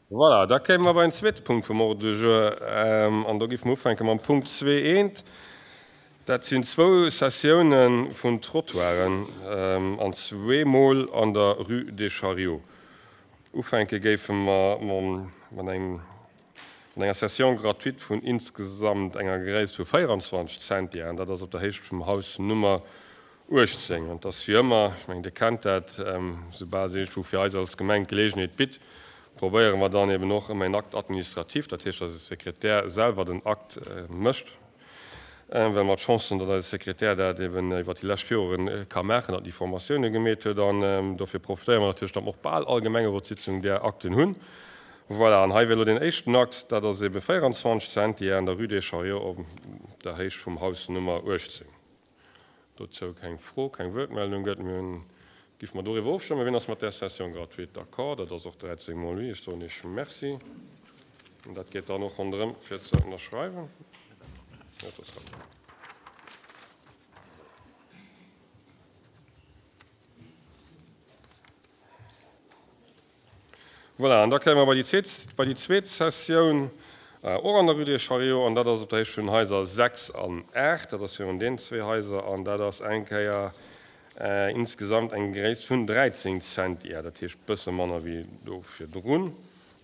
Voilà, da kéime mer bei den zweete Punkt vum Ordre du jour. An do géife mer ufänke mam Punkt zwee eent. Dat sinn zwou Cessiounen vun Trottoiren, an zweemol an der Rue des Chariots. Ufänke géife mer mat engem, mat enger Cession gratuite vun insgesamt enger Gréisst vu 24 Centiaren. Dat ass op der Héicht vum Haus Nummer 18. An et ass wéi ëmmer, ech mengen, Dir kennt dat, soubal se iergendwou fir eis als Gemeng d'Geleegenheet bitt, probéiere mer dann eben och ëmmer een Acte administratif, dat heescht, dass e Sekretär selwer den Akt mécht, well mer d'Chance hunn, datt eise Sekretär dat eben iwwert déi lescht Joren ka maachen, datt en déi Formatioune gemeet huet. An dofir profitéiere mer natierlech, datt mer och bal all Gemengerotssitzung där Akten hunn. Voilà, an hei wier elo deen éischten Akt, dat ass ebe 24 Centiar an der Rue des Chariots op der Héicht vum Haus Nummer 18. Dozou keng Fro, keng Wuertmeldung gëtt. Mir hunn, géife mer doriwwer ofstëmmen. Wien ass mat där Cession gratuite d'accord? Dat ass och 13 mol oui. Ech soen Iech Merci. An dat geet dann och ronderëm fir ze ënnerschreiwen. Jo, dat ass hatt. Voilà, an da kéime mer bei déi zweet, bei déi zweet Sessioun, och an der Rue des Chariots, an dat ass op der Héicht vun den Haiser 6 an 8. Dat ass virun deenen zwee Haiser, an dat ass eng Kéier insgesamt eng Gréisst vun 13 Centiar, dat heescht bësse manner wéi do virdrun.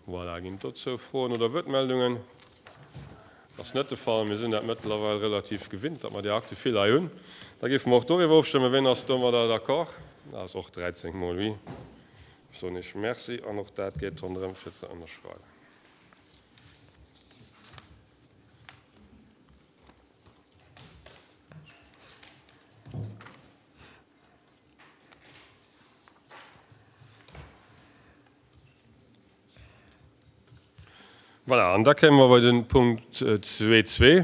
Voilà, ginn et dozou Froen oder Wuertmeldungen? Ass net de Fall. Mir sinn dat mëttlerweil relativ gewinnt, datt mer déi Akte vill hei hunn. Da géife mer och doriwwer ofstëmmen. Wien ass domadder d'accord? Dat ass och 13 mol oui. Ech soen Iech Merci an och dat geet ronderëm fir ze ënnerschreiwen. Voilà, an da kéime mer bei de Punkt 2.2.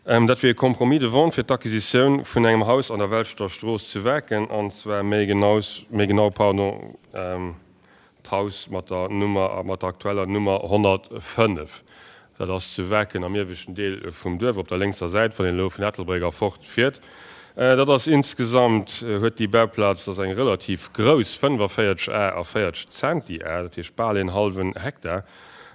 Dat wier e Compromis de vente fir d'Acquisitioun vun engem Haus an der Welschter Strooss zu Waarken, an zwar méi genaus, méi genau, pardon, d'Haus mat der Nummer, mat der aktueller Nummer 105. Dat ass zu Waarken am ieweschten Deel vum Duerf, op der lénkser Säit, wann een elo vun Ettelbréck erfort fiert. Dat ass insgesamt, huet déi Bauplaz, dat ass eng relativ grouss, 45 Ar a 40 Zentiar, dat heescht bal een hallwen Hektar,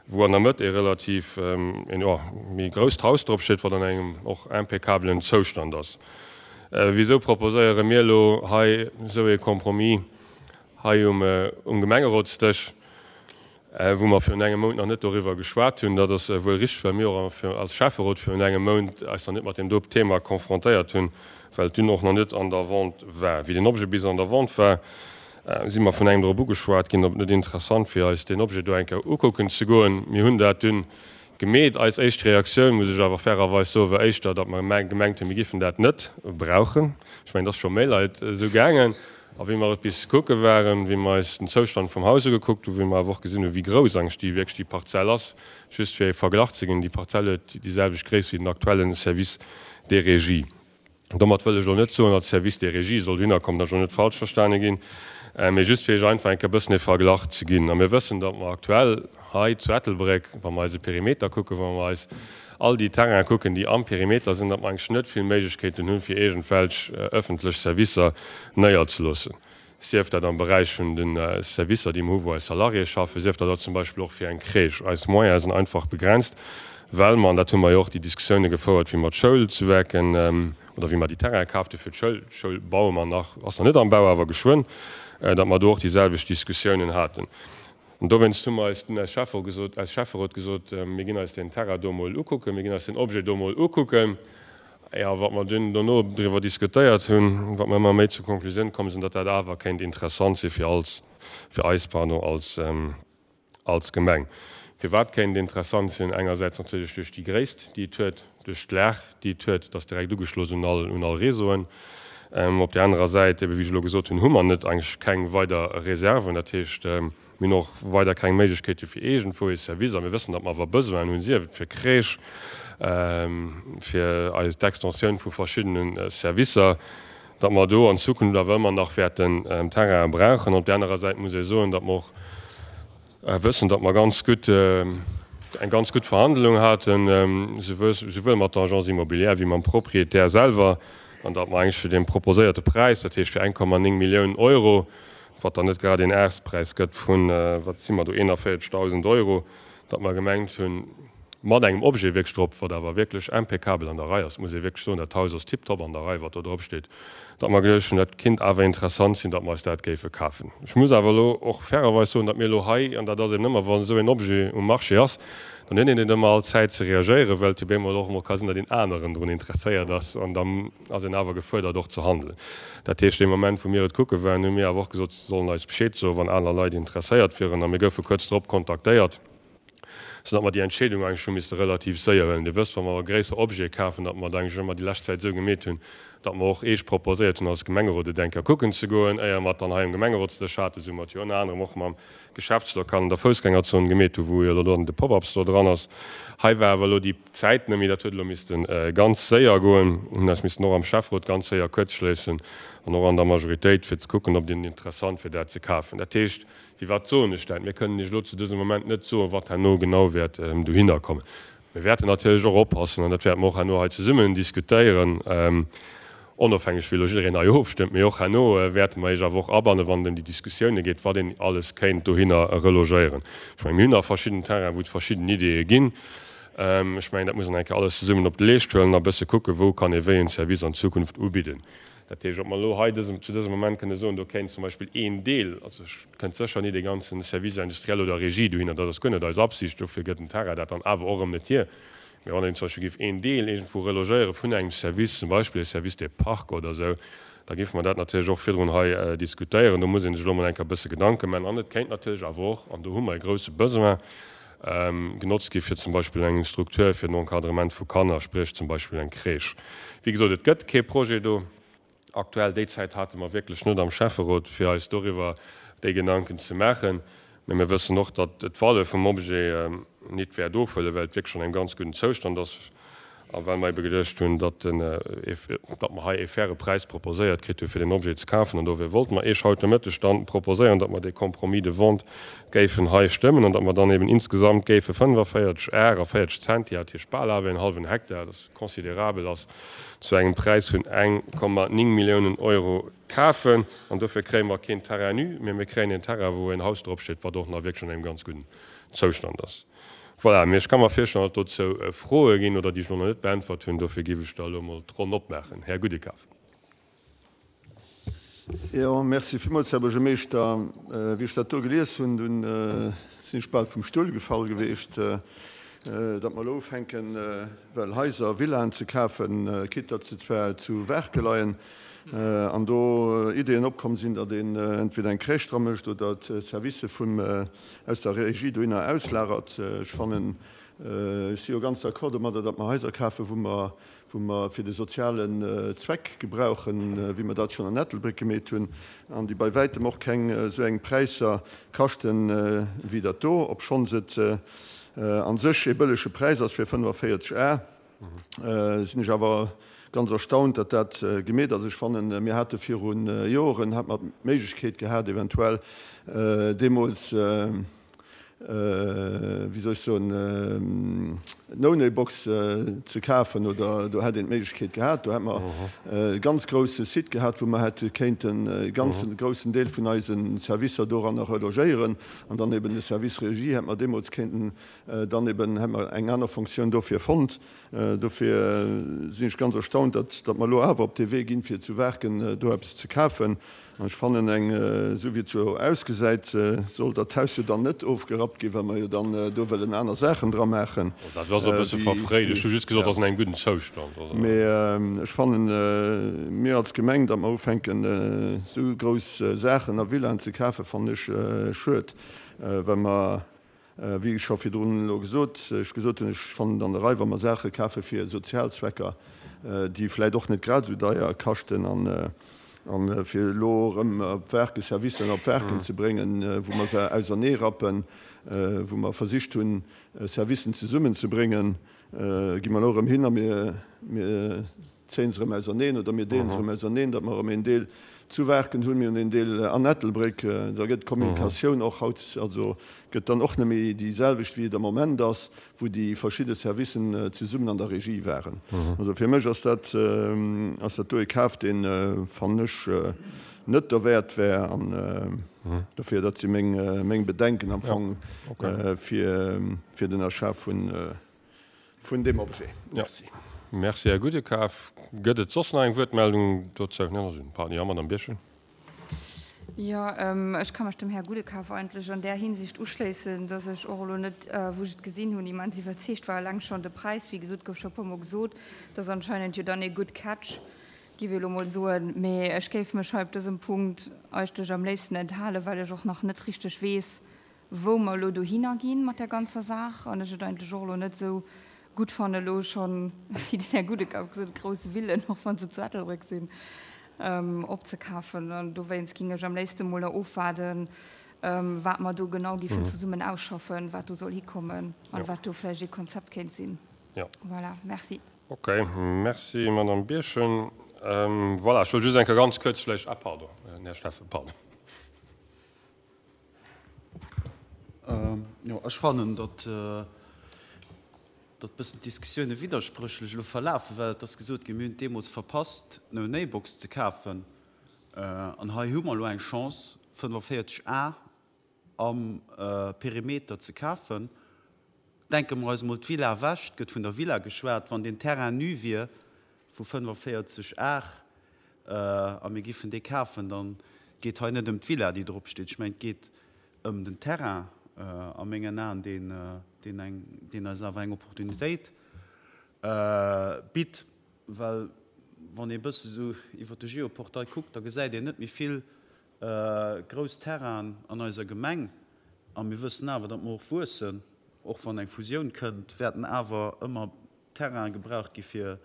wou an der Mëtt ee relativ, een, jo, méi grousst Haus drop steet, wat an engem och impeccablen Zoustand ass. Wisou proposéiere mir elo hei esou ee Compromis hei um Gemengerotsdësch? Wou mer virun engem Mount nach net doriwwer geschwat hunn. Dat ass wuel richteg, well mir och als Schäfferot virun engem Mount eis nach net mat deem do Thema confrontéiert hunn, well et dunn och nach net an der Vente war. Wéi den Objet bis an der Vente war, si mer vun engem drop ugeschwat ginn, ob et net interessant wier, eis deen Objet do eng Kéier ukucken ze goen. Mir hunn dat dunn gemeet. Eis éischt Reaktioun, muss ech awer fairerweis soen, war éischter, datt mer gemengt hunn, mir giffen dat net brauchen. Ech mengen, et ass scho méi Leit esou gaangen. A wéi mer et bis kucke waren, wéi mer eis den Zoustand vum Haus ugekuckt hunn, wéi mer awer och gesinn hunn, wéi grouss eigentlech déi wierklech déi Parzell ass, just fir ee Verglach ze ginn, déi Parzell huet déi selwecht Gréisst wéi den aktuelle Service des Régies. Domat wëll ech elo net soen, datt de Service des Régies soll dohinner kommen, dat soll net falsch verstane ginn, mee just fir Iech einfach eng Kéier e bëssen ee Verglach ze ginn. A mir wëssen, datt mer aktuell hei zu Ettelbréck, wa mer eise Perimeter kucken, wa mer eis all déi Terrainen kucken, déi am Perimeter sinn, datt mer eigentlech net vill Méiglechkeeten hunn, fir iergendwelch ëffentlech Servicer néierzeloossen, sief dat am Beräich vun de Servicer, déi mer hu wou eis Salariéë schaffen, sief dat och zum Beispill och fir eng Crèche. Eis Moyene sinn einfach begrenzt, well mer, an dat hu mer jo och déi Diskussioune gefouert, wéi mer d'Schoul zu Werken oder wéi mer déi Terraine kaaft hu fir d'Schoul, d'Schoul baue mer nach, ass nach net am Bau, awer geschwënn, datt mer do och déi selwecht Diskussiounen haten. An dowéinst hu mer eis dunn als Schäfferot gesot, als Schäfferot gesot, mir ginn eis deen Terrain do emol ukucken, mir ginn eis deen Objet do emol ukucken. Jo, wat mer dunn dono driwwer diskutéiert hunn, wat mer ëmmer méi zur Konklusioun komm sinn, datt dat awer kéint interessant si fir als, fir eis, pardon, als, als Gemeng. Firwat kéint et interessant sinn? Engersäits natierlech duerch déi Gréisst, déi et huet, duerch d'Lag, déi et huet, et ass direkt ugeschloss un all, un all Réseauen. Op där anerer Säit, ebe wéi ech elo gesot hunn, hu mer net eigentlech keng weider Reserven. Dat heescht, mir hunn och weider keng Méiglechkeete fir iergendwou ee Service, a mir wëssen, datt mer awer Besoinen hunn, sief et fir Crèche, fir eis d'Extensioun vu verschiddene Servicer, datt mer do an Zukunft awer ëmmer nach wäerten Terrainen brauchen. Op där anerer Säit muss ee soen, datt mer och wëssen, datt mer ganz gutt, eng ganz gutt Verhandlung haten, souwuel mat der Agence immobilière wéi mam Propriétaire selwer, an datt mer eigentlech fir dee proposéierte Präis, dat heescht fir 1,9 Millioun Euro. wat dann net grad een Aarspräis gëtt vun, wat si mer do, 41.000 Euro, datt mer gemengt hunn, mat engem Objet wierklech drop, wat awer wierklech impeccabel an der Rei ass, muss ee wierklech soen, dat Haus ass tiptop an der Rei, wat do drop steet, datt mer geduecht hunn, dat kinnt awer interessant sinn, datt mer eis dat géife kafen. Ech muss awer elo och fairerweis soen, datt mir elo hei, an dat ass eben ëmmer, wa esou een Objet um Marché ass, dann huet een net ëmmer all Zäit ze reagéieren, well et jo bemol och emol ka sinn, datt een aneren drun interesséiert ass an da ass een awer gefuerdert och ze handelen. Dat heescht, dee Moment wou mir et kucke waren, hu mir awer och gesot, se sollen eis Bescheed soen, wann aner Leit interesséiert wieren a mir goufe kuerz drop kontaktéiert. Sou datt mer déi Entscheedung eigentlech hu misste relativ séier huelen. Dir wësst, wa mer gréisser Objete kafen, datt mer et eigentlech ëmmer déi lescht Zäit esou gemeet hunn, datt mer och Eech proposéiert hunn als Gemengerot et eng Kéier kucken ze goen, éier mer et dann hei am Gemengerotsdësch haten, esou mer et jo ënner anerem och mam Geschäftslokal an der Foussgängerzon gemeet hu wou jo elo dann de Pop-up-Store dran ass. Hei war awer elo déi Zäit net méi, dat huet elo misste ganz séier goen. Mir hunn eis missten och am Schäfferot ganz séier kuerzschléissen an och an der Majoritéit, fir ze kucken, ob et interessant wier dat ze kafen. Dat heescht, Firwat soen ech dat? Mir kënnen Iech elo zu dësem Moment net soen, wat herno genau wäert dohinner kommen. Mir wäerten natierlech och oppassen, an dat wäerte mer och herno hei zesummen diskutéieren, onofhängeg wéi elo jiddereen hei ofstëmmt, mee och herno wäerte mer Iech awer och abannen, wann et ëm déi Diskussioune geet, wat een alles kéint dohinner relogéieren. Ech mengen, mir hunn nach verschidden Terrainen, wou et verschidden Ideeë ginn. Ech mengen, dat muss een eng Kéier alles zesummen op de Leescht huelen a bësse kucken, wou kann ee wéi en Service an Zukunft ubidden. Dat heescht, ob mer elo hei dësem, zu dësem Moment kënne soen, do kéint zum Beispill een Deel, also et kënnt sécher ni dee ganze Service industriel oder Régie dohinner, dat ass guer net eis Absicht, dofir gëtt den Terrain dat dann awer och erëm net hier, mä wann een zum Beispill géif een Deel iergendwou relogéiere vun engem Service, zum Beispill e Service des parcs oder esou, da géife mer dat natierlech och virdrun hei diskutéieren. Do muss ee sech elo emol eng Kéier e bësse Gedanke maachen. An et kéint natierlech awer och, an do hu mer e grouse Besoin, genotzt gi fir zum Beispill eng Struktur fir den Encadrement vu Kanner, spriech zum Beispill eng Crèche. Wéi gesot, et gëtt kee Projet do aktuell. Déi Zäit hate mer wierklech net am Schäfferot, fir eis doriwwer déi Gedanken ze maachen. Mä mir wëssen och, datt d'Valeur vum Objet nit wäert ofhuelen, well et wierklech an engem ganz gudden Zoustand ass. A well mer ebe geduecht hunn, datt den, datt mer hei ee faire Präis proposéiert kritt hu fir deen Objet ze kafen, an dofir wollte mer Iech haut de Mëtteg dann proposéieren, datt mer dee Compromis de vente géifen hei stëmmen an datt mer dann eben insgesamt géife 45 Ar a 40 Centi, dat heescht bal awer een hallwen Hektar, dat considerabel ass, zu engem Präis vun 1,9 Milliounen Euro kafen. An dofir kréie mer keen Terrain nu, mee mir kréien een Terrain, wou een Haus dropsteet, wat och nach wierklech an engem ganz gudden Zoustand ass. Voilà, mee ech ka mer virstellen, datt dozou Froe ginn oder déi ech elo nach net beäntwert hunn. Dofir géif ech da elo emol d'Ronn opmaachen. Här Gudekaf. Jo, merci villmools, Här Buergermeeschter. Wéi ech dat do gelies hunn, dunn sinn ech bal vum Stull gefall geweecht, datt mer elo ufänken, well Haiser, Villaen ze kafen, quitte datt se zwar zu Waarke leien, an do Ideeën opkomm sinn, datt een entweder eng Crèche dra mécht oder d'Servicë vum aus der Regie dohinner auslagert. Ech fannen, ech si jo ganz d'accord domadder, datt mer Haiser kafen, wou mer, wou mer fir de sozialen Zweck gebrauchen, wéi mer dat schonn an Ettelbréck gemeet hunn, an déi bei wäitem och keng esou eng Präisser kaschten wéi dat do, obschonns et a sech ee bëllege Präis ass fir 45 Ar. Sinn ech awer ganz erstaunt, datt dat gemeet ass. Ech fannen, mir hate viru Joren, hate mer d'Méiglechkeet gehat, eventuell deemools, wéi soll ech soen, d'No-Nay-Box ze kafen, oder do hätt een d'Méiglechkeet gehat. Do hätt mer e ganz grousse Site gehat, wou mer hätte kéinten e ganze groussen Deel vun eise Servicer doranner relogéieren an dann eben de Service Régie hätt mer deemools kéinten Dann eben hätt mer eng aner Fonctioun dofir fonnt. Dofir sinn ech ganz erstaunt, datt, datt mer elo awer op dee Wee ginn, fir zu Waarken do eppes ze kafen. An ech fannen eng, esou wéi et jo ausgesäit, soll dat Haus jo dann net ofgerappt ginn, well mer jo dann do wëllen aner Saachen dra maachen. Dat ass e bësse verfréit. Ech hu just gesot, et ass an engem gudden Zoustand. Mee ech fannen, mir als Gemeng, datt mer ufänken, esou grouss Saachen a Villaen ze kafen, fannen ech schued, well mer, Wéi ech scho virdrun elo gesot, ech gesot hunn, ech fannen et an der Rei, wa mer Saache kafe fir sozial Zwecker, déi vläicht och net grad esou deier kaschten, an fir elo erëm op Waarken, Servicen op Waarken ze bréngen, wou mer se auserneerappen, wou mer versicht hunn, Servicen zesummenzebréngen, gi mer elo erëm hin a mir zéien se erëm auserneen oder mir deelen se erëm auserneen, datt mer erëm een Deel zu Waarken hunn, mir hunn een Deel an Ettelbréck. Da gëtt d'Kommunikatioun och haut, also gëtt dann och net méi déi selwecht, wéi et am Moment ass, wou déi verschidde Servicen zesummen an der Regie waren. Also fir mech ass dat, ass dat do e Kaf, deen, fannen ech, net derwäert wär. An dofir, dat si meng Bedenken am Fong fir den Achat vun deem Objet. Merci. Merci, Här Gudekaf. Gëtt et soss nach eng Wuertmeldung dozou? Pardon, jo, Madamm Birchen. Jo, ech ka mech dem Här Gudekaf eigentlech an där Hinsicht uschléissen, dass ech och elo net, wou ech et gesinn hunn, immens iwwerzeegt war. Eleng schonn de Präis, wéi gesot, gouf scho e puermol gesot, dat ass anscheinend jo dann ee good catch, géif ech elo mol soen. Mee ech géif mech hei op dësem Punkt eigentlech am léifsten enthalen, well ech och nach net richteg weess, wou mer elo dohinner gi mat där ganzer Saach an ech et eigentlech och elo net esou gutt fannen, elo schonn, wéi den Här Gudekaf gesot huet, grouss Villen, och wa se zu Ettelbréck sinn, opzekafen. An dowéinst géing ech am léifste mol nach ofwaarden, wat mer do genau géifen zesummen ausschaffen, wat do soll hikommen an wat do vläicht ee Konzept kéint sinn. Voilà, merci. Ok, merci Madame Birchen. Voilà, ech wollt just eng Kéier ganz kuerz vläicht, ah pardon, den Här Steffen, pardon. Jo, ech fannen, datt datt bëssen d'Diskussioune widderspréchlech elo verlafen, well et ass gesot ginn, mir hunn et deemools verpasst, d'No-Nay-Box ze kafen. An hei hu mer elo eng Chance, 45 Ar am Perimeter ze kafen. Denke mer eis emol d'Villa ewech, et gëtt vun der Villa geschwat, wann deen Terrain nu wier vu 45 Ar a mir giffen dee kafen, da geet hei net ëm d'Villa, déi drop steet. Ech mengen, et geet ëm den Terrain a mengen Aen, deen, deen eng, deen eis awer eng Opportunitéit bitt. Well wann ee bësse sou iwwer de Geoportail kuckt, da gesäit een net méi vill grouss Terrainen an eiser Gemeng. A mir wëssen awer, datt mer och wuessen. Och wann eng Fusioun kënnt, wäerten awer ëmmer Terrainen gebraucht gi fir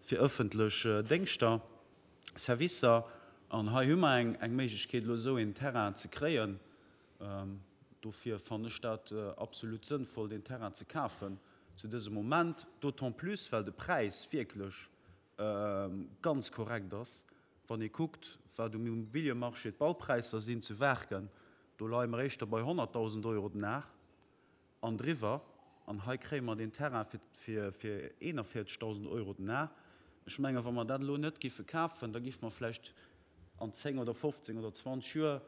fir ëffentlech Déngschter, Servicer. An hei hu mer eng eng Méiglechkeet, elo esou een Terrain ze kréien. Dofir fannen ech dat absolut sënnvoll, deen Terrain ze kafen zu dësem Moment, d'autant plus well de Präis wierklech ganz korrekt ass, wann ee kuckt, wat um Immobiliemarché d'Baupräisser sinn zu Waarken. Do leie mer éischter bei 100.000 Euro den Ar an driwwer. An hei kréie mer deen Terrain fir 41.000 Euro den Ar. Ech mengen, wa mer dat elo net géife kafen, da géife mer vläicht an 10 oder 15 oder 20 Joer,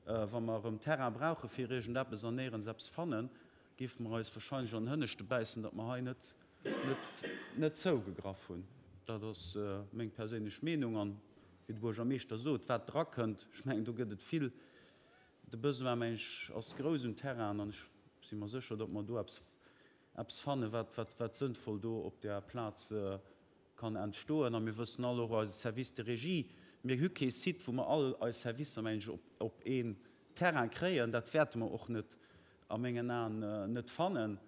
wa mer erëm Terrain brauche fir iergendeppes an néierens eppes fannen, géife mer eis wahrscheinlech an den Hënneschte bäissen, datt mer hei net, net, net zougegraff hunn. Dat ass meng perséinlech Meenung. An, wéi de Buergermeeschter sot, wat drakënnt, ech mengen, do gëtt et vill. De Besoin, mengen ech, ass grouss un Terrainen an ech si mer sécher, datt mer do eppes, eppes fannen, wat, wat, wat sënnvoll do op där Plaz kann entstoen. A mir wëssen all, och eise Service de régie, mir hu kee Site, wou mer all eis Servicer, mengen ech, op, op een Terrain kréien. Dat wäerte mer och net, a mengen Aen, net fannen.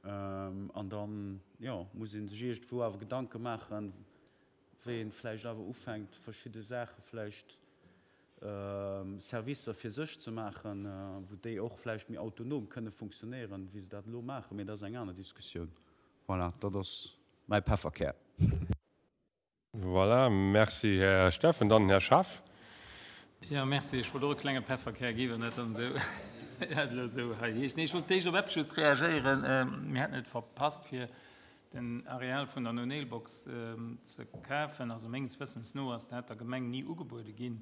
An dann, jo, muss ee sech iergendwou awer Gedanke maachen, wéi een vläicht awer ufänkt, verschidde Saache vläicht Servicer fir sech ze maachen, wou déi och vläicht méi autonom kënne funktionéieren, wéi se dat elo maachen. Mee dat ass eng aner Diskussioun. Voilà, dat ass mäi Pefferkär. Voilà, merci Här Steffen. Dann den Här Schaaf. Jo, merci. Ech wollt och e klenge Pefferkär gi wann dat dann esou dat elo esou hei heescht. Nee, ech wollt d'éischt op eppes just reagéieren. Mir hätten et verpasst, fir den Areal vun der No-Nail-Box ze kafen. Also menges Wëssens no ass dat der Gemeng ni ugebuede ginn.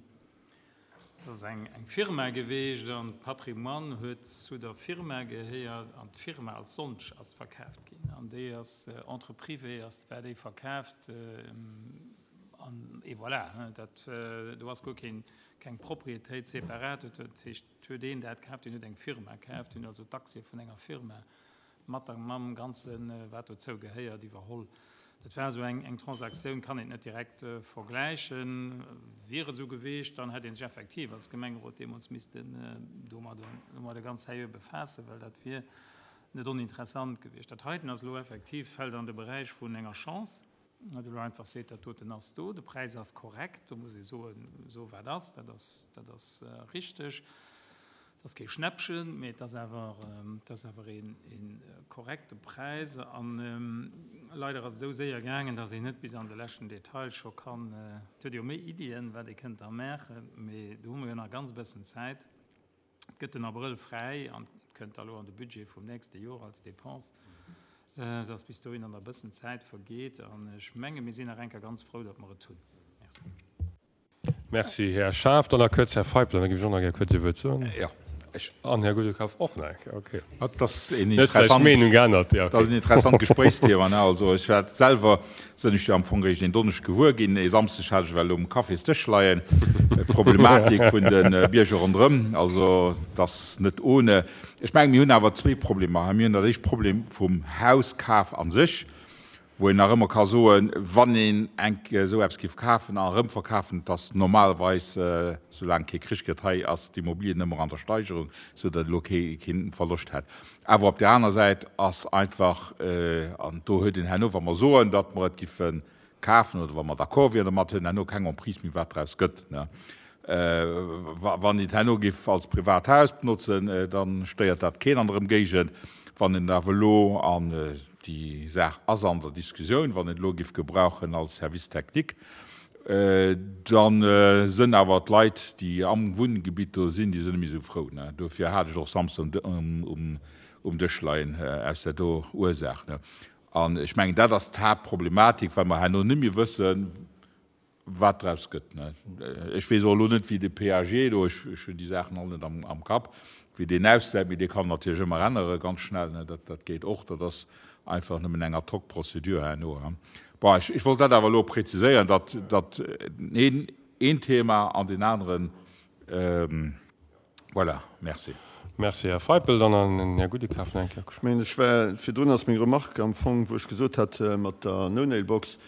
Dat ass eng Firma geweecht an d'Patrimoine huet zu der Firma gehéiert an d'Firma als solch ass verkaaft ginn. An déi ass entre privé ass war déi verkaaft an et voilà. Dat do ass guer keen keng Propriétéit separat. Dat heescht, et huet een dat kaaft, deen huet eng Firma kaaft, deen huet also d'Aktie vun enger Firma mat der mam ganzen wat dozou gehéiert iwwerholl. Dat war esou eng eng Transaktioun, kann een net direkt vergläichen. Wier et esou geweecht, dann hätt ee sech effektiv als Gemengerot deemools missten domadde domadde ganz seriö befaassen, well dat wier net oninteressant gewiescht. Dat heiten ass elo effektiv, fält an de Beräich vun enger Chance. Datt elo einfach seet, dat doten ass do, de Präis ass korrekt, do muss ee soen, esou wat ass, dat ass, dat ass richteg. Et ass kee Schnäppchen, mee et ass awer, et ass awer een, ee korrekte Präis. A leider ass et esou séier gaangen, datt een net bis an de leschten Detail scho kann, et huet ee jo méi Iddien, wat ee kënnt da maachen, mee do hu mer jo nach ganz e bëssen Zäit. Et gëtt den Abrëll fräi an et kënnt da lo an de Budget vum nächste Joer als Dépense, esou dass bis dohinner nach e bëssen Zäit vergeet. An ech menge mir sinn nach eng Kéier ganz frou, datt mer et hunn. Merci. Merci, Här Schaaf. Dann nach kuerz Här Feipel, an da géif ech och nach gär kuerz ee Wuert soen. Jo, ech. An Här Gudekaf och nach eng Kéier. Okay. Dat ass een interessant. Meenung geännert. Ja, okay. Dat ass en interessant Gespréichsthema, ne? Also ech war selwer, sinn ech jo am Fong eréischt een Donneschdeg gewuer ginn. E Samsdeg hat ech ewell um Cafésdësch leien, d'Problematik vun de Bierger ronderëm. Also et ass net ohne. Ech mengen, mir hunn awer zwee Problemer hei. Mir hunn dat éischt Problem vum Hauskaf a sech, wou een nach ëmmer ka soen, wann een enk esou eppes géif kafen a erëmverkafen, et ass normalerweis, soulaang kee Krich gëtt, hei ass d'Immobilien ëmmer an der Steigerung, esou datt elo kee kee Verloscht hätt. Awer op där aner Säit ass einfach, an do huet een herno, wa mer soen, datt mer et giffe kafen oder wa mer d'accord wieren domat, huet een herno keng Emprise méi, wat draus gëtt. Wann een et herno géif als privat Haus benotzen, da stéiert dat keen an der Ëmgéigend. Wann een et awer elo, an déi Saach ass an der Diskussioun, wann een et elo géif gebrauchen als Service technique, da sënn awer d'Leit, déi am Wunngebitt do sinn, déi sënn net méi esou frou. Dofir hat ech och Samsden um Dësch leien, aus där do Ursaach. An ech mengen, dat ass d'Haaptproblematik, well mer herno net méi wëssen, wat draus gëtt. Ech weess och elo net, wéi de PAG do, ech hunn déi Saachen all net am Kapp, wéi deen ausgesäit, mee dee kann natierlech ëmmer ännere ganz schnell, dat geet och. Dat ass einfach nëmmen eng Ad-hoc-Procédure herno. Bon, ech wollt dat awer elo präziséieren, datt dat een Thema an deen aneren, Voilà, merci. Merci, Här Feipel. Dann an den Här Gudekaf nach eng Kéier. Ech mengen, ech war, virdrun ass meng Remarque am Fong, wou ech gesot hat mat der No-Nail-Box,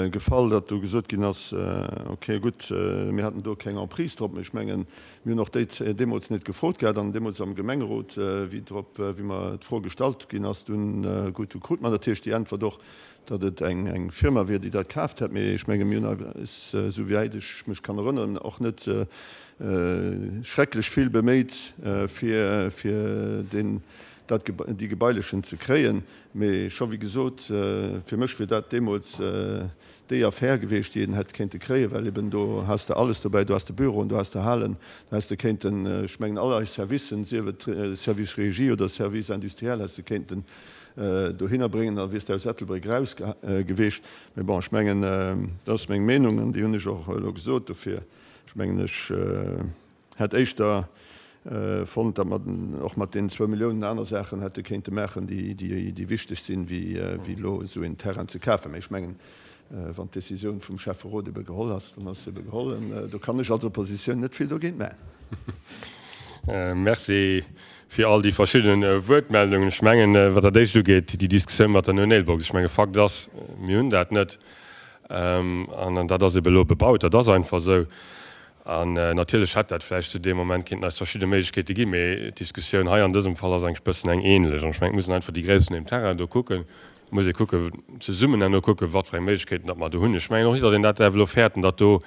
gefall, datt do gesot ginn ass, okay, gutt, mir haten do keng Emprise drop. Mee ech mengen, mir hunn och déi deemools net gefrot gehat an deemools am Gemengerot, wéi drop, wéi mer d'Fro gestallt ginn ass, dunn, gutt, du krut mer natierlech déi Äntwert och, datt et eng Firma wier, déi dat kaaft hätt. Mee ech menge mir hunn eis, esou wäit ech mech kann erënneren, och net schrecklech vill beméit, fir fir deen, dat, déi Gebailechen ze kréien. Mee scho wéi gesot, fir mech wier dat deemools déi Affär gewiescht, déi een hätt kéinte kréien, well eben do has de alles dobäi, do has de Büroen, do has de Halen, do häss de kéinten, ech mengen all eis Servicen, sief et Service Régie oder Service industriel, häss de kéinten dohinner bréngen, da wiers de aus Ettelbréck eraus gewiescht. Mee bon, ech mengen, dat ass meng Meenung an déi hunn ech och elo gesot. Dofir, ech mengen, ech hätt éischter fonnt, datt mer och mat deenen zwou Milliounen aner Saachen hätte kéinte maachen, déi wichteg sinn, wéi elo esou een Terrain ze kafen. Mee ech mengen, wann d'Décisioun vum Schäfferot ebe geholl ass, dann ass se ebe geholl. An do kann ech als Oppositioun net vill dogéint maachen. Merci fir all déi verschidden Wuertmeldungen. Ech mengen, wat dat Éischt ugeet, déi Diskussioun mat der No-Nail-Box, ech menge Fakt ass, mir hunn dat net an dat ass ebe elo bebaut, dat ass einfach esou. An natierlech hätt dat vläicht zu deem Moment kéinten eis verschidde Méiglechkeete ginn, mee d'Diskussioun hei an dësem Fall ass eigentlech e bëssen eng ähnlech. An ech mengen, et muss een einfach déi Gréisst vun deem Terrain do kucken. Et muss ee kucken, zesummen herno kucken, wat fir eng Méiglechkeeten datt mer do hunn. Ech mengen och net, datt een dat däerf elo fäerten, datt do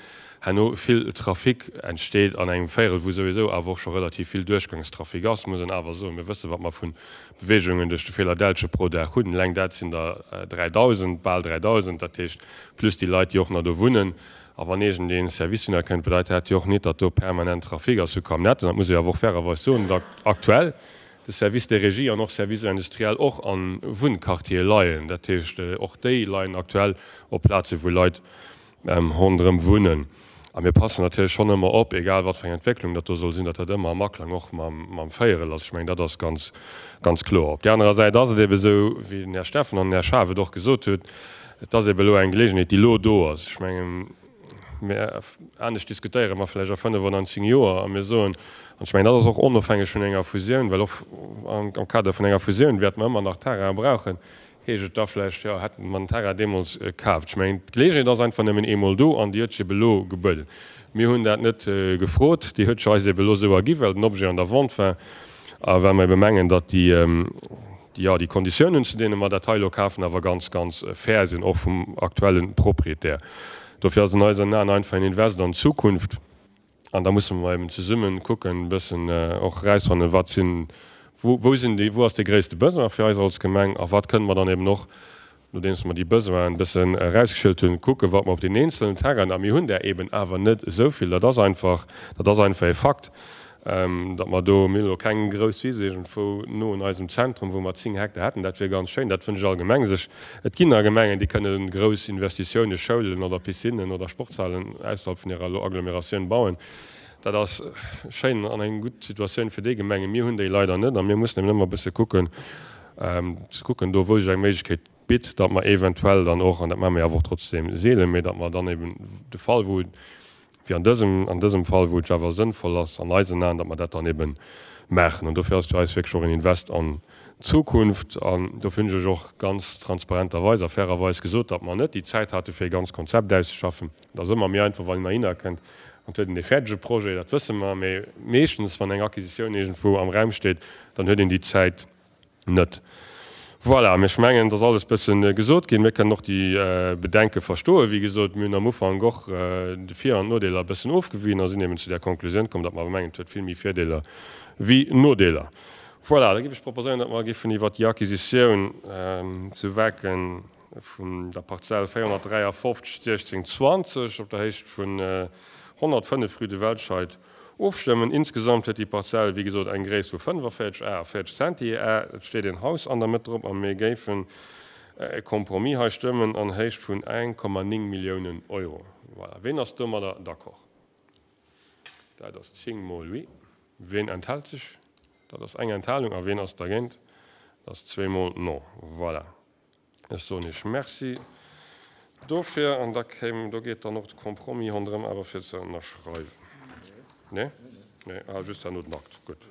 herno vill Trafic entsteet an engem Véierel, wou souwisou awer och scho relativ vill Duerchgangstrafic ass, muss een awer soen. Mir wëssen, wat mer vu Beweegungen duerch de Feelerdelche pro Dag hunn. Eleng dat sinn der 3.000, bal 3.000, dat heescht plus déi Leit, déi och nach do wunnen. A wann iergendee Service dunner kënnt, bedeit dat jo och net, datt do permanent Trafic ass vu Camionnetten. Dat muss ee awer och fairerweis soen, datt aktuell de Service des Régies an och Service industriel och a Wunnquartiere leien. Dat heescht, och déi leien aktuell op Plazen, wou Leit ronderëm wunnen. A mir passen natierlech schonn ëmmer op, egal wat fir eng Entwécklung dat do soll sinn, datt dat ëmmer am Aklang och mam Véierel ass. Ech mengen, dat ass ganz, ganz kloer. Op där anerer Säit ass et ebe sou, wéi den Här Steffen an den Här Schaaf et och gesot huet, et ass ebe elo eng Geleegenheet, déi elo do ass. Ech mengen, Mä anescht diskutéiere mer vläicht a fënnef oder an zéng Joer a mir soen, an ech mengen, dat ass och onofhängeg vun enger Fusioun, well och am Kader vun enger Fusioun wäerte mer ëmmer nach Terraine brauchen, heescht et da vläicht, jo, hätte mer den Terrain deemools kaaft. Ech mengen, d'Geleegenheet ass einfach nëmmen eemol do an déi huet sech ebe elo gebueden. Mir hunn dat net gefrot, déi huet sech eis ebe elo esou ergi well den Objet an der Vente war a well mer ebe mengen, datt déi, jo, déi Konditiounen, zu deene mer dat hei elo kafen, awer ganz, ganz fair sinn, och vum aktuelle Proprietär. Dofir ass an eisen Aen einfach en Invest an d'Zukunft. An da musse mer eben zesumme kucken, e bëssen och erausfannen, wat sinn, wou, wou sinn déi, wou ass dee gréisste Besoin fir eis als Gemeng a wat kënne mer dann eben och, nodeems mer déi Besoinen e bëssen erausgeschielt hunn, kucken, wat mer op deenen eenzelen Terrainen, a mir hunn där eben awer net esou vill, dat ass einfach, dat ass einfach e Fakt. Datt mer do, mir hunn elo keng grouss Wiss iergendwou no un eisem Zentrum, wou mer 10 Hektar hätten, dat wier ganz schéin, dat wënscht all Gemeng sech. Et ginn nach Gemengen, déi kënne grouss Investitiounen, Schoulen oder Piscinnen oder Sportshalen ausserhalb vun hirer Agglomeratioun bauen. Dat ass schéin an eng gutt Situatioun fir déi Gemengen. Mir hunn déi leider net a mir mussen eben ëmmer e bësse kucken, ze kucken do, wou sech eng Méiglechkeet bitt, datt mer eventuell dann och, an dat maache mir awer och trotzdeem seelen, mee datt mer dann eben de Fall, wou wéi an dësem, an dësem Fall, wou et jo awer sënnvoll ass an eisen Aen, datt mer dat dann ebe maachen. An dofir ass et fir eis wierklech och en Invest an d'Zukunft. An dofir hunn ech lech och ganz transparenterweis a fairerweis gesot, datt mer net déi Zäit hate fir e ganz Konzept auszeschaffen. Et ass ëmmer méi einfach, wann een heihinner kënnt an et huet een dee fäerdege Projet, dat wësse mer. Mee meeschtens, wann eng Acquisitioun iergendwou am Raum steet, dann huet een déi Zäit net. Voilà, mee ech mengen, et ass alles bësse gesot ginn. Mir kënnen och déi Bedenke verstoen. Wéi gesot, mir hunn am Ufank och de Vir an d'Nodeeler e bëssen ofgewien a sinn eben zu där Konklusioun komm, datt mer awer mengen, et huet vill méi Virdeeler wéi Nodeeler. Voilà, da géif ech proposéieren, datt mer géifen iwwert déi Acquisitioun zu Wecken vun der Parzell 453 16 20 op der Héicht vun 105 rue de Welscheid Ofstëmmen. Insgesamt huet déi Parzell, wéi gesot, eng Gréisst vu 45 Ar a 40 Centi-Ar. Et steet een Haus an der Mëtt drop a mir géifen e Compromis hei stëmmen an Héicht vun 1,9 Milliounen Euro. Voilà. Ween ass domadder d'accord? Dat ass 10 mol oui. Ween enthält sech? Dat ass eng Enthalung. A ween ass dergéint? Dat ass zweemol non. Voilà. Ech soen Iech Merci dofir. An da kéim, do geet dann och de Compromis ronderëm awer fir ze ënnerschreiwen. Nee? Nee, ah, just herno den Akt. Gutt.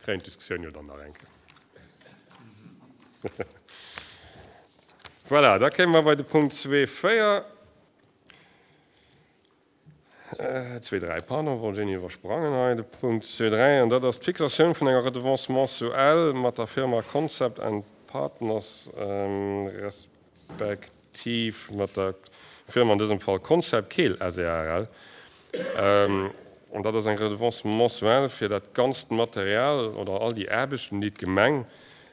Kréien d'Diskussioun jo dann nach eng Kéier. Voilà, da kéime mer bei de Punkt 2.4. Zwee, dräi, pardon, wollt ech een iwwersprangen hei, de Punkt zwee, dräi, an dat ass d'Fixatioun vun enger Redevance mensuelle mat der Firma Concept and Partners respektiv mat der Firma an dësem Fall Concept Keel SARL. An dat ass eng Redevance mensuelle fir dat ganzt Material oder all déi Aarbechten, déi d'Gemeng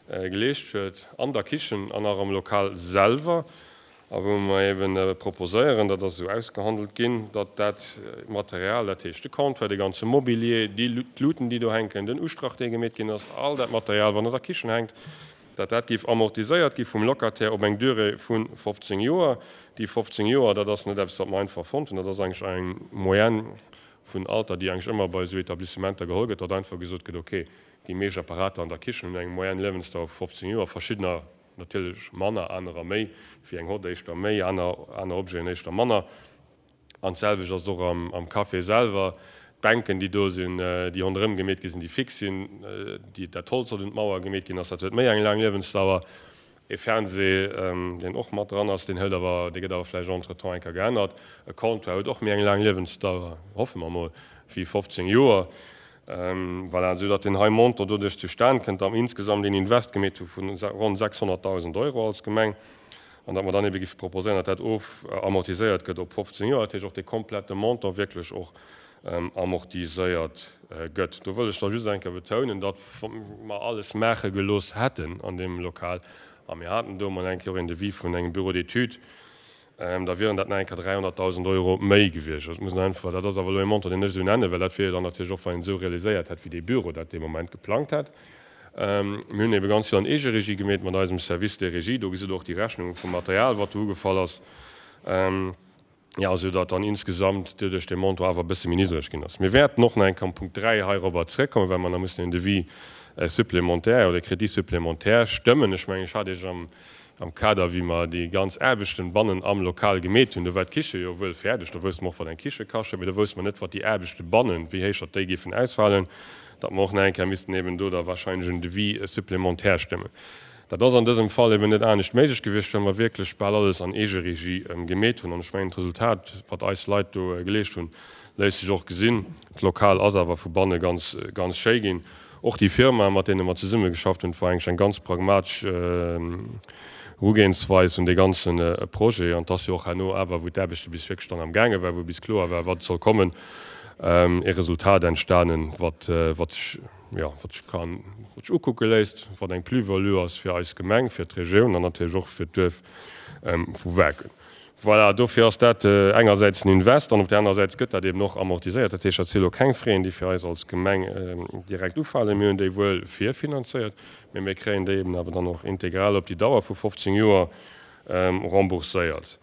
geleescht huet an der Kichen an och am Lokal selwer. A wou mer eben proposéieren, dat ass esou ausgehandelt ginn, datt dat Material, dat heescht de Comptoir, de ganze Mobilier, déi d'Luten, déi do hänken, den Ustrach, dee gemeet ginn ass, all dat Material, wat an der Kichen hänkt, datt dat géif amortiséiert gi vum Locataire op eng Durée vu 15 Joer. Déi 15 Joer, dat ass net eppes, wat mer einfach fonnt hunn, dat ass eigentlech eng Moyenne vun Alter, déi eigentlech ëmmer bei esou Etablissementer geholl gëtt, datt einfach gesot gëtt, okay, déi meescht Apparater an der Kichen hunn eng Moyenne Liewensdauer vu 15 Joer, verschiddener Natierlech manner, anerer méi, wéi eng hott éischter méi, aner aner Objeten éischter manner. An d'selwecht ass et och am am Café selwer. D'Bänken, déi do sinn, déi ronderëm gemeet gi sinn, déi fix sinn, déi dat Holz, wat un d'Mauer gemeet ginn ass, dat huet méi eng laang Liewensdauer. E Fernseh, deen och mat dran ass, deen hëlt awer, dee gëtt awer vläicht entretemps eng Kéier geännert. E Comptoir huet och méi eng laang Liewensdauer, hoffe mer mol, wéi 15 Joer. Voilà, esou datt deen hei Montant doduerch zustan kënnt, datt mer insgesamt een Invest gemeet hu vu ronn 600.000 Euro als Gemeng an datt mer dann ebe géife proposéieren, datt dat ofamortiséiert gëtt op 15 Joer, dat heescht och dee komplette Montant wierklech och amortiséiert gëtt. Do wëll ech da just eng Kéier betounen, datt mer alles maache gelooss hätten an deem Lokal a mir haten do emol eng Kéier och een Devis vun engem Bureau d'études, Da wieren dat nach eng Kéier 300.000 Euro méi gewiescht. Dat muss een einfach, dat ass awer elo e Montant, deen ech esou nennen, well dat wier jo dann natierlech och, wann een esou realiséiert hätt, wéi dee Büro dat dee Moment geplangt hätt. Mir hunn ebe ganz vill an Eegeregie gemeet mat eisem Service des régies. Do gesitt Der och déi Rechnung vum Material, wat do ugefall ass. Jo, esou datt dann insgesamt doduerch dee Montant awer e bësse méi niddreg ginn ass. Mir wäerten och nach eng Kéier am Punkt 3 heirobber zréckkommen, well mer nach mussen en Devis supplémentaire oder e Crédit supplémentaire stëmmen. Ech mengen, ech hat Iech am Am Kader, wéi mer déi ganz Aarbechten bannen am Lokal gemeet hunn, do war d'Kiche jo wuel fäerdeg, do wousste mer och, wat eng Kiche kascht, mee do wousste mer net, wat déi Aarbechte bannen, wéi héich datt déi géifen ausfalen, datt mer och nach eng Kéier missten eben do da wahrscheinlech en Devis supplémentaire stëmmen. Dat ass an dësem Fall eben net anescht méiglech gewiescht, well mer wierklech bal alles an Eegeregie gemeet hunn. An ech mengen, d'Resultat, wat eis Leit do geleescht hunn, léisst sech och gesinn. D'Lokal ass awer vu banne ganz, ganz schéi ginn. Och déi Firma, mat deene mer zesummegeschafft hunn, war eigentlech eng ganz pragmatesch Erugehensweis un dee ganze Projet. An et ass jo och herno awer, wou d'Aarbechte bis wierklech dann am gaange war, wou bis kloer war, wat soll kommen, e Resultat entstanen, wat wat sech, jo, wat sech kann, wat sech ukucke léisst, wat eng Plus-value ass fir eis Gemeng, fir d'Regioun an natierlech och fir d'Duerf vu Waarken. Voilà, dofir ass dat engersäits en Invest an op där anerer Säit gëtt dat eben och amortiséiert. Dat heescht, dat si elo keng Fräen, déi fir eis als Gemeng direkt ufalen. Mir hunn déi wuel virfinanzéiert, mee mir kréien déi eben awer dann och integral op déi Dauer vu 15 Joer rembourséiert.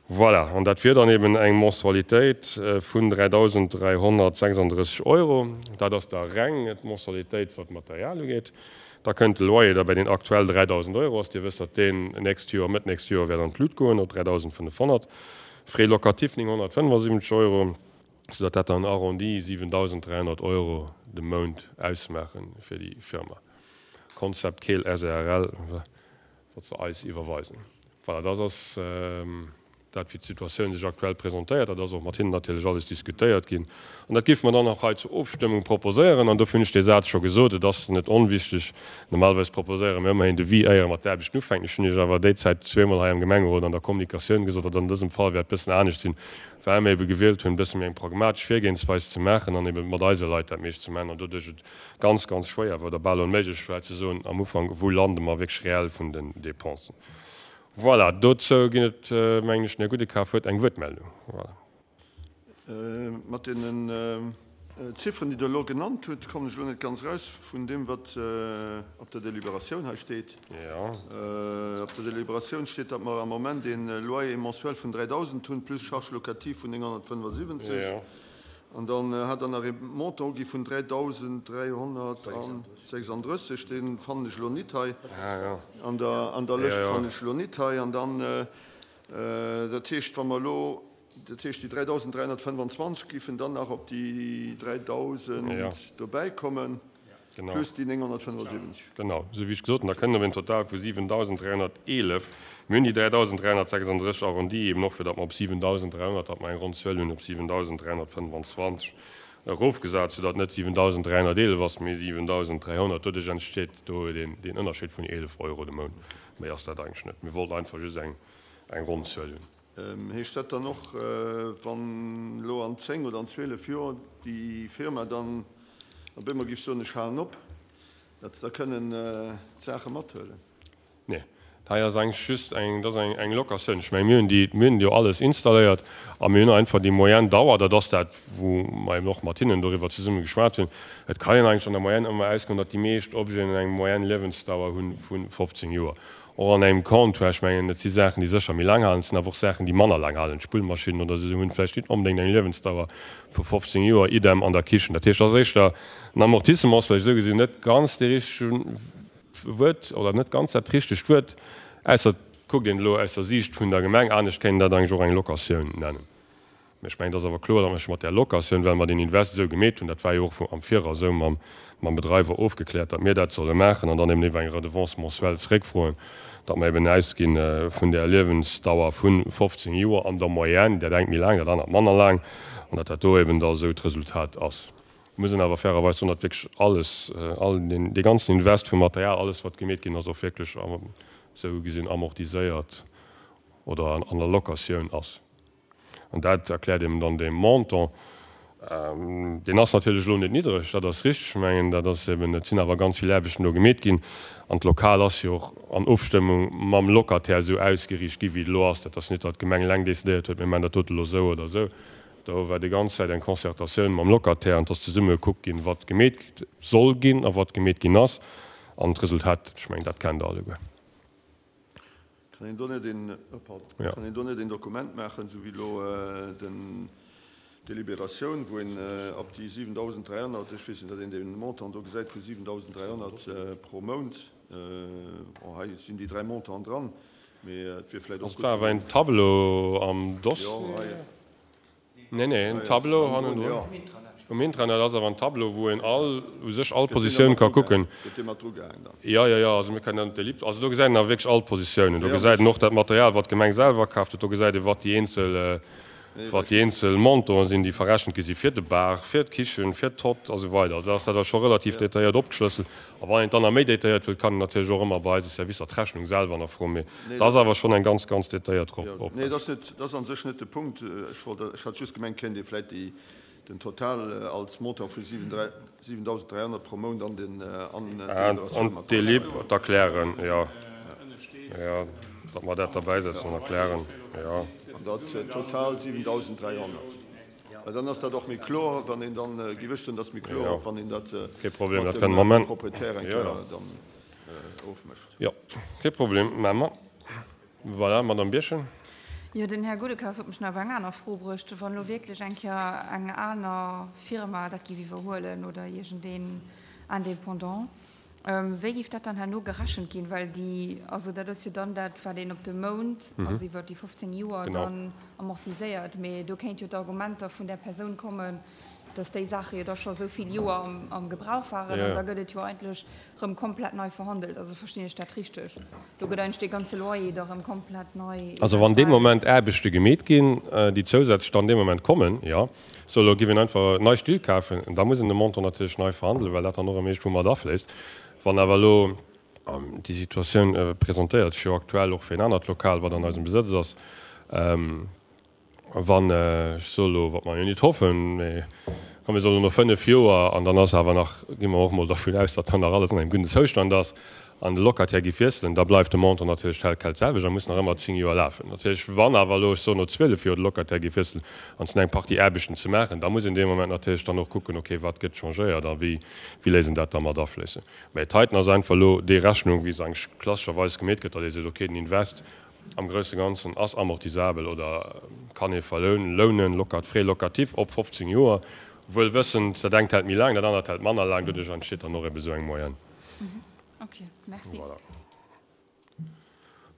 Voilà, an dat wier dann eben eng Mensualitéit vun 3.336 Euro. Dat ass da reng d'Mensualitéit, wat d'Material ugeet. Da kënnt de Loyer da bei deen aktuell 3.000 Euro ass. Dir wësst, datt deen nächst Joer, Mëtt nächst Joer wäert an d'Lut goen op 3.500. Frais locatifs 975 Euro, soudatt dat dann arrondi 7.300 Euro de Mount ausmaache fir déi Firma Concept Keel SARL. Wat se eis iwwerweisen. Voilà, dat ass dat, wéi d'Situatioun sech aktuell presentéiert. Dat ass och mat hinnen natierlech alles diskutéiert ginn. An dat géife mer dann och hei zur Ofstëmmung proposéieren. An dofir hunn ech dee Saz scho gesot, et ass net onwichtig, normalerweis proposéiere mir ëmmerhin Devis, éier mer d'Aarbechten ufänken. Ech hunn Iech awer déizäit zweemol hei am Gemengerot an der Kommunikatioun gesot, datt an dësem Fall wäert e bëssen anescht sinn, well mir ebe gewielt hunn, e bësse méi eng pragmatesch Virgehensweis ze maachen an ebe mat eise Leit dat meescht ze maachen an doduerch et ganz, ganz schwéier war oder bal onméiglech war ze soen am Ufank, wou lande mer wierklech reell vun den Dépensen. Voilà, dozou ginn et, mengen ech, den Här Gudekaf huet eng Wuertmeldung. Voilà. Mat deenen Zifferen, déi Der elo genannt hutt, kommen ech elo net ganz eraus vun deem, wat op der Deliberatioun hei steet. Op der Deliberatioun steet, datt mer am Moment ee Loyer mensuel vun 3.000 hunn, plus Charges locatives vun 975. An dann hat Der nach ee Montant ugi vun 3.336, dee fannen ech elo nit hei an der Lëscht, fannen ech elo nit hei. An dann, dat heescht, wa mer elo, dat heescht, déi 3.325 géifen dann nach op déi 3.000 dobäikommen. Genau. Plus déi 975. Genau, esou wéi ech gesot hunn, da kënnen op en Total vu 7.311. Mir hunn déi 3.336 arrondi eben och, fir datt mer op 7.300, datt mer eng ronn Zuel hunn, op 7.325 erofgesat, soudatt net 7.311 ass, mee 7.300. Doduerch entsteet do deen Ënnerscheed vun 11 Euro de Mount. Méi ass dat eigentlech net. Mir wollten einfach just eng ronn Zuel hunn. Heescht dat dann och, wann elo an 10 oder an 12 Joer déi Firma dann op eemol géif soen, ech halen op, datt se da kënnen d'Saache mathuelen? Nee, hei ass eigentlech just eng, dat ass eng Locatioun. Ech menge mir hunn déi, mir hunn jo alles installéiert a mir hunn einfach déi Moyenne Dauer, dat ass dat, wou mer eben och mat hinnen doriwwer zesumme geschwat hunn. Et kann een eigentlech an der Moyenne ëmmer ausgoen, datt déi meescht Objeten eng Moyenne Liewensdauer hu vu 15 Joer. Och an engem Comptoir, ech mengen, et si Saachen, déi sécher méi laang halen, et sinn awer och Saachen, déi manner laang halen. D'Spullmaschinn oder esou hunn vläicht nit onbedéngt eng Liewensdauer vu 15 Joer, idem an der Kichen. Dat heescht, et ass éischter en Amortissement, ass vläicht esou gesinn net ganz dee richtege Wuert oder net ganz dat richtegt Wuert, ausser et kuckt een et elo aus der Siicht vun der Gemeng. Anescht kéint een dat eigentlech och eng Locatioun nennen. Mä ech mengen, et ass awer kloer, datt mer sech mat där Locatioun, well mer deen Invest esou gemeet hunn, dat war jo och am Viraus esou mam Bedreiwer ofgekläert, datt mir dat solle maachen an dann eben iwwer eng Redevance mensuelle zeréckfroen, datt mer eben ausgi vun där Liewensdauer vu 15 Joer an der Moyenne, dat engt méi laang, dat anert manner laang, an datt dat do eben da esou d'Resultat ass. Et muss een awer fairerweis soen, datt wierklech alles, all deen, dee ganzen Invest vum Material, alles wat gemeet ginn ass, och wierklech esou gesinn amortiséiert oder an der Locatioun ass. An dat erkläert eben dann dee Montant. Deen ass natierlech elo net niddreg, dat ass richteg. Ech mengen, dat ass eben, et sinn awer ganz vill Aarbechten do gemeet ginn. An d'Lokal ass jo och an Ofstëmmung mam Locataire esou ausgeriicht gi wéi et elo ass. Dat ass net, datt d'Gemeng eleng decidéiert huet, mir maachen dat dote elo esou oder esou. Do war déi ganz Zäit eng Concertatioun mam Locataire an et ass zesumme gekuckt ginn, wat gemeet soll ginn a wat gemeet ginn ass. An d'Resultat, ech mengen, dat kennt Der alleguer. Kann een do net een, oh pardon, kann een do net een Dokument maachen, esou wéi elo den Deliberatioun, wou een op déi 7.300, ech weess net, datt een dee Montant do gesäit vu 7.300 pro Mount, bon, hei sinn déi dräi Montanten dran, mee et wier vläicht och gutt, wann. Ass awer een Tableau am Dossier. Jo, hei. Nee, nee, en Tableau hannendrun. Um Intranet ass awer en Tableau, wou een all, u sech all Positioun ka kucken. Gëtt dee mat drugehaang dann? Jo, jo, jo, also mir kënnen dann d'Ellipse, also do gesäit een awer wierklech all d'Positiounen. Do gesäit een och dat Material, wat d'Gemeng selwer kaaft huet. Do gesäit ee wat déi eenzel, wat déi eenzel Montanten sinn, déi verrechent gi si fir de Bar, fir d'Kichen, fir d'Hott a sou weider. Also da ass dat da scho relativ detailléiert opgeschlësselt. A wann een et dann nach méi detailléiert wëllt, kann een natierlech och ëmmer bei eise Servicer d'Rechnung selwer nach froen. Mee dat ass awer schonn eng ganz, ganz detailléiert Oprechnung. Nee, dat ass a sech net de Punkt. Ech wollt, ech hat just gemengt, kéint ee vläicht déi, den Total als Montant vu 7.300 pro Mount an den, an d'Deliberatioun mat. An d'Delib erklären, jo. Jo, datt mer dat derbäisetzen an erklären, jo. An dat total 7.300. Well dann ass dat och méi kloer, wann een dann, géif ech soen, dat ass méi kloer, och wann een dat Kee Problem, dat kënne mer mat dem Proprietär eng Kéier dann ofmécht. Jo, kee Problem, maache mer. Voilà, Madame Birchen. Jo, den Här Goudekaf huet mech nach op eng aner Fro bruecht. Wann elo wierklech eng Kéier eng aner Firma dat géif iwwerhuelen oder iergendeen Indépendant, wéi géif dat dann herno gerechent ginn? Well déi, also dat ass jo dann dat, wat een op de Mount, also iwwer déi 15 Joer dann amortiséiert. Mee do kéint jo d'Argumenter vun där Persoun kommen, dass déi Saache jo da scho esou vill Joer am Gebrauch waren an da gëtt et jo eigentlech rëm komplett nei verhandelt. Also verstinn ech dat richteg? Do gëtt eigentlech dee ganze Loyer da rëm komplett nei Also wann dee Moment Aarbechte gemeet ginn, déi zousätzlech dann dee Moment kommen, jo. Sou, elo giff een einfach nei Still kafen, da muss een de Montant natierlech nei verhandelen, well dat dann och erëm iergendwou mat afléisst. Wann awer elo, an déi Situatioun presentéiert sech jo aktuell och fir en anert Lokal, wat an eisem Besëtz ass, Wann, ech soe elo, wat mer jo nit hoffen, mä wa mir solle no 5 Joer, an dann ass awer nach, gi mer och emol dervun aus, datt dann nach alles an engem gudden Zoustand ass, an de Locataire géif wiesselen, da bleift de Montant natierlech tel quel d'selwecht a muss nach ëmmer 10 Joer lafen. Natierlech, wann awer elo, ech soen, no 12 Joer de Locataire géif wiesselen an et sinn eng Partie Aarbechten ze maachen, da muss een dee Moment natierlech dann och kucken, okay, wat gëtt changéiert a wéi wéi léisst een dat da mat afléissen. Mä d'heiten ass einfach elo déi Rechnung, wéi se eigentlech klassescherweis gemeet gëtt, datt ee seet, okay, den Invest am grousse Ganzen ass amortisabel oder kann ee verlounen, locat, frais locatif op 15 Joer, wuel wëssend, dat engt hält méi laang, dat anert hält manner laang, doduerch entsteet dann och ebe sou eng Moyenne. Ok, merci. Voilà.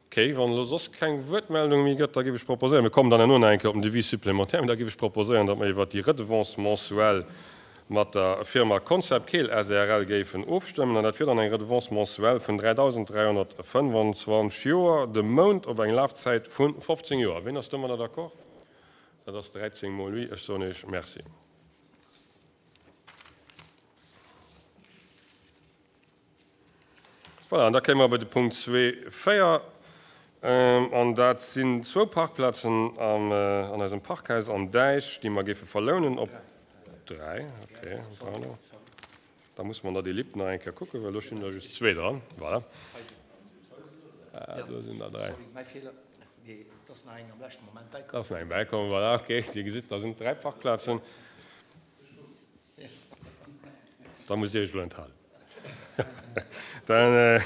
Ok, wann elo soss keng Wuertmeldung méi gëtt, da géif ech proposéieren, mir kommen dann herno nach eng Kéier op den Devis supplémentaire, mä da géif ech proposéieren, datt mer iwwert déi Redevance mensuelle mat der Firma Concept Keel sàrl géifen ofstëmmen, an dat wier dann eng Redevance mensuelle vun 3.325 Joer de Mount op eng Lafzäit vu 15 Joer. Ween ass domadder d'accord? Dat ass 13 mol oui. Ech soen Iech Merci. Voilà, an da kéime mer bei de Punkt 2,4, an dat sinn zwou Parkplazen an eisem Parkhaus am Däich, déi mer géife verlounen op dräi, okay, pardon. Da muss mer an der Delib nach eng Kéier kucken, well do stinn der just zwee dran. Voilà. Do sinn der dräi. Et ass nach eng am leschte Moment bäikomm. Ass nach eng bäikomm, voilà, okay. Dir gesitt, da sinn et dräi Parkplazen. Da musst Dir Iech elo enthalen. Da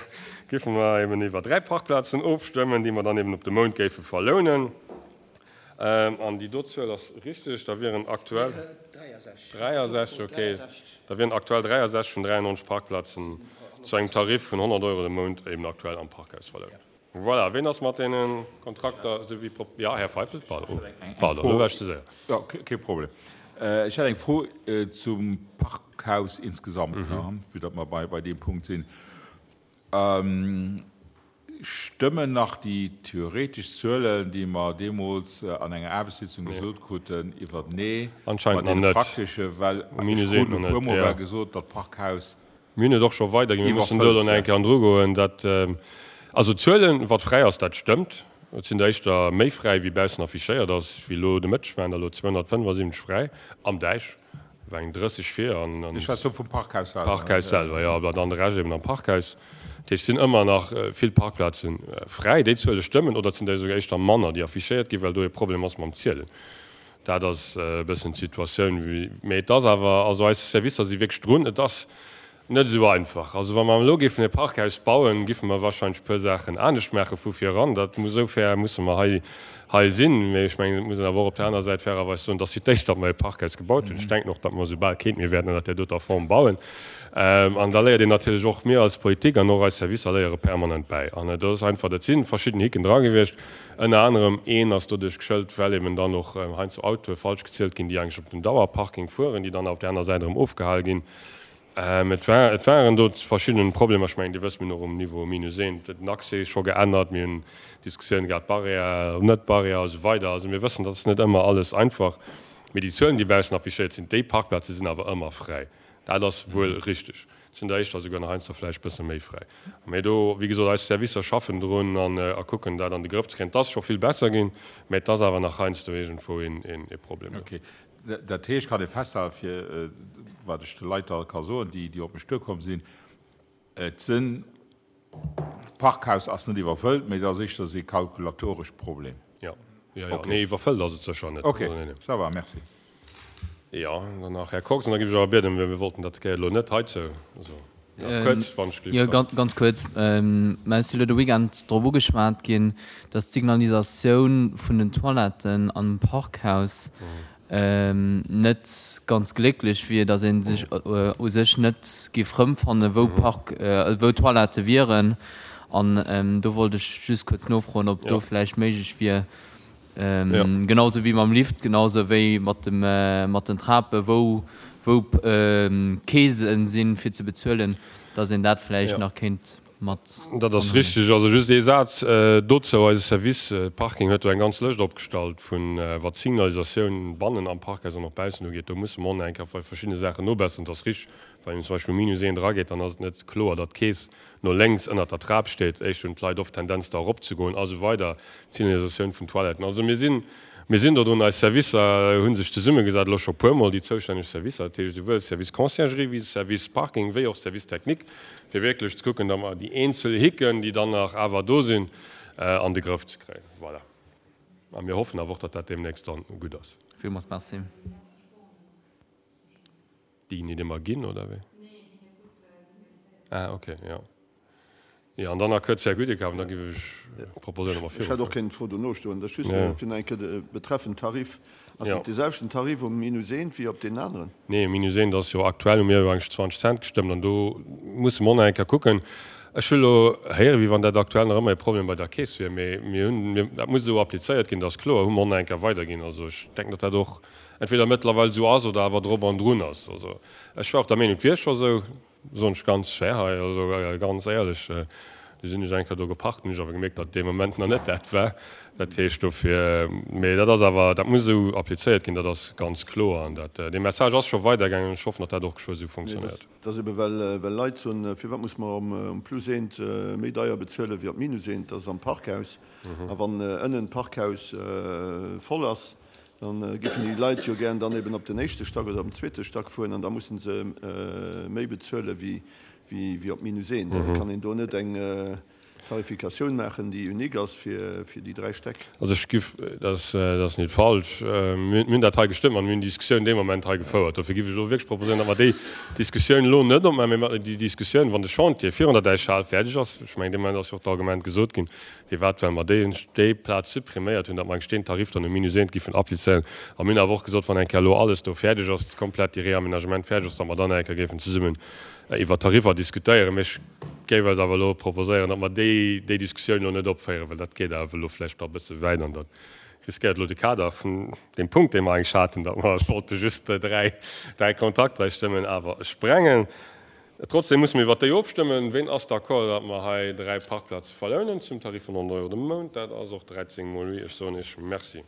géife mer eben iwwer 3 Parkplazen ofstëmmen, déi mer dann eben op de Mount géife verlounen. An déi do Zuel ass richteg, da wieren aktuell 63, okay, da wieren aktuell 63 vun 93 Parkplazen zu engem Tarif vun 100 Euro de Mount eben aktuell am Parkhaus verlount. Voilà, ween ass mat deene Kontrakter esou wéi prop. Jo, Här Feipel, pardon, pardon, elo war ech ze séier. Jo, kee Problem. Ech hätt eng Fro zum Parkhaus insgesamt, vue datt mer bei deem Punkt sinn. Stëmmen nach déi theoretesch Zuelen, déi mer deemools an enger Aarbechtssitzung gesot kruten, iwwertenee mat deene praktesche? Well ech krut e puermol war gesot, datt d'Parkhaus Mir hunn et och scho weiderginn. Mir mussen do elo nach eng Kéier dru goen. Dat, also d'Zuelen, wat fräi ass, dat stëmmt. Et sinn der éischter méi fräi, wéi baussen affichéiert ass. Wéi elo de Mëtteg waren der elo 275 fräi am Däich, war eng 30 vir an. Ech schwätze lo vum Parkhaus selwer. Parkhaus selwer, jo. An dann de Rescht eben am Parkhaus. Dat heescht, et sinn ëmmer nach vill Parkplaze fräi. Déi Zuele stëmmen oder et sinn der esouguer éischter manner, déi affichéiert ginn, well do e Problem ass mam Zielen. Dat ass e bëssen d'Situatioun. Mee et ass awer, also eis Servicer si wierklech drun. Et ass net esou einfach. Also wa mer elo géifen e Parkhaus bauen, géife mer wahrscheinlech e puer Saachen anescht maache vu vir eran. Dat muss, esou fair musse mer hei, hei sinn. Mee ech mengen, et muss een awer och op där aner Säit fairerweis soen, dass fir d'éischt, datt mer e Parkhaus gebaut hunn. Ech denken och, datt mer esou bal keent méi wäerten ënnert där doter Form bauen. An da léiert een natierlech och, mir als Politik an och eis Servicer léiere permanent bäi. An et ass einfach, dat si verschidden Hicken dra gewiescht. Ënner anerem een ass doduerch geschëlt, well eben dann och heiansdo Autoe falsch gezielt ginn, déi eigentlech op den Dauerparking fueren, déi dann op där aner Säit erëm ofgehal ginn. Et war, et waren do verschidden Problemer. Ech mengen, Dir wësst, mir hunn och um Niveau minus eent den Accès scho geännert, mir hunn Diskussioune gehat, Barrière, net Barrière a sou weider. Also mir wëssen, dat ass net ëmmer alles einfach. Mee déi Zuelen, déi baussen affichéiert sinn, déi Parkplaze sinn awer ëmmer fräi. Dat ass wuel richteg. Et sinn der éischter esouguer nach heiansdo vläicht e bësse méi fräi. Mee do, wéi gesot, eis Servicer schaffen drun an a kucken, dat an de Grëff ze kréien. Et ass scho vill besser ginn, mä et ass awer nach heiansdo iergendwou een Problem do. Okay. Dat heescht, kann ee festhalen, fir wat ech de Leit da ka soen, déi op mech duerkomm sinn, et sinn, d'Parkhaus ass net iwwerfëllt, mä et ass éischter ee kalkulatorescht Problem. Jo. Jo, jo, nee, iwwerfëllt ass et sécher net. Ok, ça va, merci. Jo, dann nach Här Kox, an da géif ech awer bieden, well mir wollten dat Kéier elo net heizou, also nach kuerz, wann ech Jo, ganz kuerz. Mä et ass elo de Weekend drop ugeschwat ginn, dass d'Signalisatioun vun den Toiletten am Parkhaus net ganz glécklech wier, dass ee sech u sech net géif rëmfannen, wou Park, wou Toilettë wieren. An do wollt ech just kuerz nofroen, ob do vläicht méiglech wier, genau esou wéi mam Lift, genau esou wéi mat dem, mat den Trapen, wou, wou Keesen sinn, fir ze bezuelen, dass een dat vläicht nach kéint mat Dat ass richtig. Also just ee Saz dozou, Eise Service Parking huet do eng ganz Lëscht opgestallt vun, wat d'Signalisatioun bannen am Parkhaus an och baussen ugeet. Do musse mer och nach eng Kéier bei verschiddene Saachen nobesseren. Et ass richtig, wann een zum Beispill um Minus eent erageet, dann ass et net kloer, datt d'Keess no lénks ënnert der Trap steet. Éischt hunn d'Leit oft d'Tendenz da eropzegoen a sou weider. D'Signalisatioun vun Toiletten. Also mir sinn, mir sinn do drun. Eis Servicer hu sech zesummegesat, elo scho puermol, déi zoustänneg Servicer, dat heescht esouwuel Service Conciergerie wéi Service Parking wéi och Service Technique, fir wierklech ze kucken, datt mer déi eenzel Hicken, déi dann nach awer do sinn, an de Grëff ze kréien. Voilà. A mir hoffen awer och, datt dat deemnächst dann gutt ass. Villmools Merci. Déi ginn net ëmmer ginn, oder wéi? Ah, okay, jo. Jo, an dann nach kuerz Här Gudekau, an da géif ech proposéieren, datt mer Ech hätt och keng Fro dono stoen. Dat ass just fir nach eng Kéier betreffend Tarif. Ass et dee selwechten Tarif um Minus eent wéi op deenen aneren? Nee, um Minus eent ass jo aktuell, hu mir jo eigentlech 20 Cent gestëmmt an do musse mer och nach eng Kéier kucken. Ech hu elo héieren, wéi wann dat aktuell nach ëmmer e Problem bei der Keess wier, mee mir hunn, dat muss esou applizéiert ginn, dat ass kloer, hu mer och nach eng Kéier weiderginn. Also ech denken, datt dat och entweder mëttlerweil esou ass oder awer drop an drun ass. Also ech war och der Meenung, et wier scho esou, soen ech ganz fair hei, also ganz éierlech. Du sinn ech eng Kéier do geparkt, hunn ech awer gemierkt, datt dee Moment nach net dat war. Dat heescht dofir, mee dat ass awer, dat muss esou applizéiert ginn, dat ass ganz kloer. An dat, dee Message ass scho weidergaangen an ech hoffen, datt dat och geschwë esou funktionéiert. Dat ass ebe well, well Leit soen, firwat muss mer um Plus eent méi deier bezuelen wéi op Minus eent, dat ass am Parkhaus. A wann ënnen d'Parkhaus voll ass, Dann géifen déi Leit jo gären dann eben op den éischte Stack oder op den zweete Stack fueren an da mussen se méi bezuele wéi op Minus eent. Kann een do net eng Tarifikatioun maachen, déi unique ass fir déi 3 Stäck? Also ech giff, dat ass net falsch, mir hunn dat hei gestëmmt an mir hunn déi Diskussioun dee Moment hei gefouert. Dofir giff ech elo wierklech proposéieren, datt mer déi Diskussioun elo net opmaachen, mee mer déi Diskussioun, wann de Chantier virun der Däichhal fäerdeg ass, ech mengen dee Moment ass jo och d'Argument gesot ginn, Firwat? Well mer déi déi Plaz suppriméiert hunn, datt mer eng deen Tarif dann um Minus eent giffen applizéieren. A mir hunn awer och gesot, wann eng Kéier elo alles do fäerdeg ass, komplett dee Réaménagement fäerdeg ass, datt mer dann eng Kéier géifen zesummen iwwer Tariffer diskutéieren. Mee ech géif eis awer elo proposéieren, datt mer déi déi Diskussioun elo net opféieren, well dat geet awer elo vläicht nach e bësse wäit an dat riskéiert elo de Kader vun deem Punkt, dee mer eigentlech haten, datt mer wollte just dräi Kontrakter hei stëmmen, awer sprengen. Trotzdem musse mir iwwert déi ofstëmmen. Ween ass d'accord, datt mer hei 3 Parkplaze verlounen zum Tarif vun 100 Euro de Mount? Dat ass och 13 mol oui. Ech soen Iech Merci.